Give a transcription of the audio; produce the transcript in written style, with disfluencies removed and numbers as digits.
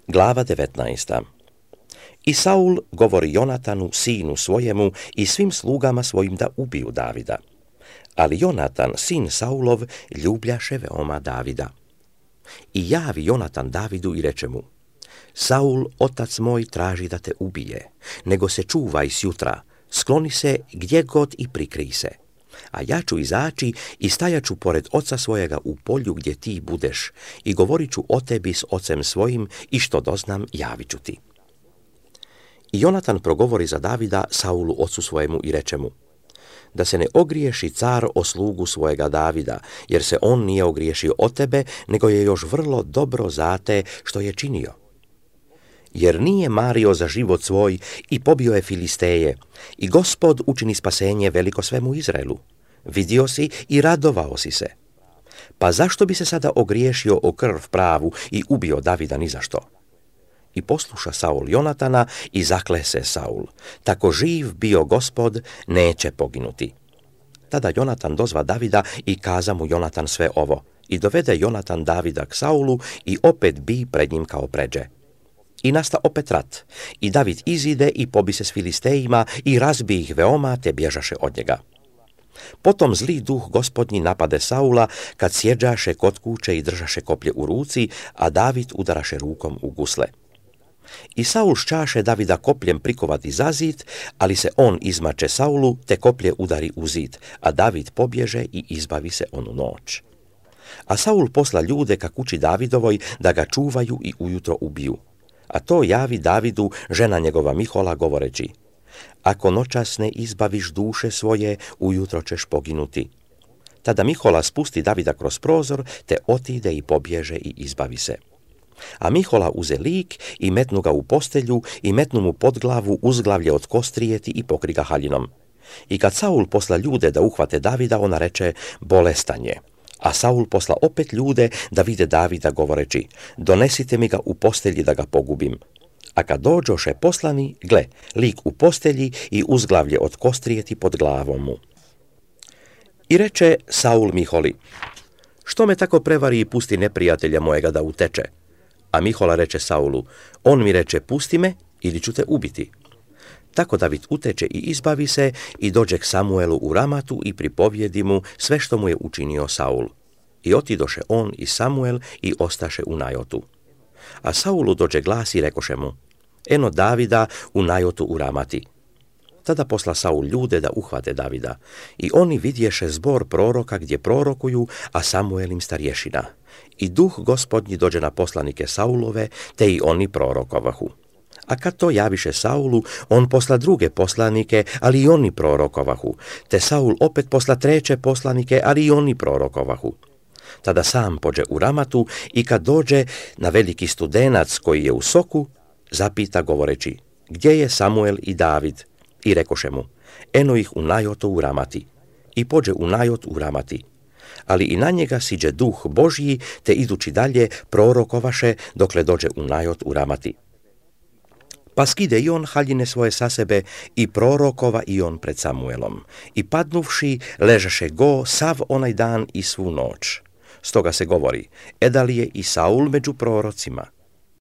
Glava 19. I Saul govori Jonatanu, sinu svojemu, i svim slugama svojim da ubiju Davida. Ali Jonatan, sin Saulov, ljubljaše veoma Davida. I javi Jonatan Davidu i reče mu: Saul, otac moj, traži da te ubije, nego se čuvaj sjutra, skloni se gdje god i prikrij se. A ja ću izaći i stajaću pored oca svojega u polju gdje ti budeš i govorit ću o tebi s ocem svojim i što doznam javit ću ti. I Jonatan progovori za Davida Saulu ocu svojemu i reče mu: da se ne ogriješi car o slugu svojega Davida, jer se on nije ogriješio o tebe, nego je još vrlo dobro zate što je činio. Jer nije mario za život svoj i pobio je Filisteje, i Gospod učini spasenje veliko svemu Izraelu. Vidio si i radovao si se. Pa zašto bi se sada ogriješio o krv pravu i ubio Davida ni za što? I posluša Saul Jonatana i zakle se Saul: tako živ bio Gospod, neće poginuti. Tada Jonatan dozva Davida i kaza mu Jonatan sve ovo. I dovede Jonatan Davida k Saulu i opet bi pred njim kao pređe. I nasta opet rat. I David izide i pobi se s Filistejima i razbi ih veoma, te bježaše od njega. Potom zli duh Gospodnji napade Saula, kad sjeđaše kod kuće i držaše koplje u ruci, a David udaraše rukom u gusle. I Saul šćaše Davida kopljem prikovati za zid, ali se on izmače Saulu, te koplje udari u zid, a David pobježe i izbavi se onu noć. A Saul posla ljude ka kući Davidovoj da ga čuvaju i ujutro ubiju. A to javi Davidu žena njegova Mihola govoreći: ako noćas ne izbaviš duše svoje, ujutro ćeš poginuti. Tada Mihola spusti Davida kroz prozor, te otide i pobježe i izbavi se. A Mihola uze lik i metnu ga u postelju i metnu mu pod glavu uzglavlje od kostrijeti i pokri ga haljinom. I kad Saul posla ljude da uhvate Davida, ona reče: bolestan je. A Saul posla opet ljude da vide Davida govoreći: donesite mi ga u postelji da ga pogubim. A kad dođoše poslani, gle, lik u postelji i uzglavlje od kostrijeti pod glavom mu. I reče Saul Miholi: što me tako prevari i pusti neprijatelja mojega da uteče? A Mihola reče Saulu: on mi reče: pusti me ili ću te ubiti. Tako David uteče i izbavi se i dođe k Samuelu u Ramatu i pripovjedi mu sve što mu je učinio Saul. I otidoše on i Samuel i ostaše u Najotu. A Saulu dođe glas i rekoše mu: eno Davida u Najotu u Ramati. Tada posla Saul ljude da uhvate Davida. I oni vidješe zbor proroka gdje prorokuju, a Samuel im starješina. I duh Gospodnji dođe na poslanike Saulove, te i oni prorokovahu. A kad to javiše Saulu, on posla druge poslanike, ali i oni prorokovahu. Te Saul opet posla treće poslanike, ali i oni prorokovahu. Tada sam pođe u Ramatu i kad dođe na veliki studenac koji je u soku, zapita govoreći: gdje je Samuel i David? I rekoše mu: eno ih u Najotu u Ramati. I pođe u Najot u Ramati. Ali i na njega siđe duh Božji, te idući dalje prorokovaše dokle dođe u Najot u Ramati. Pa skide i on haljine svoje sa sebe i prorokova i on pred Samuelom. I padnuvši, ležaše go sav onaj dan i svu noć. Stoga se govori: edal je i Saul među prorocima.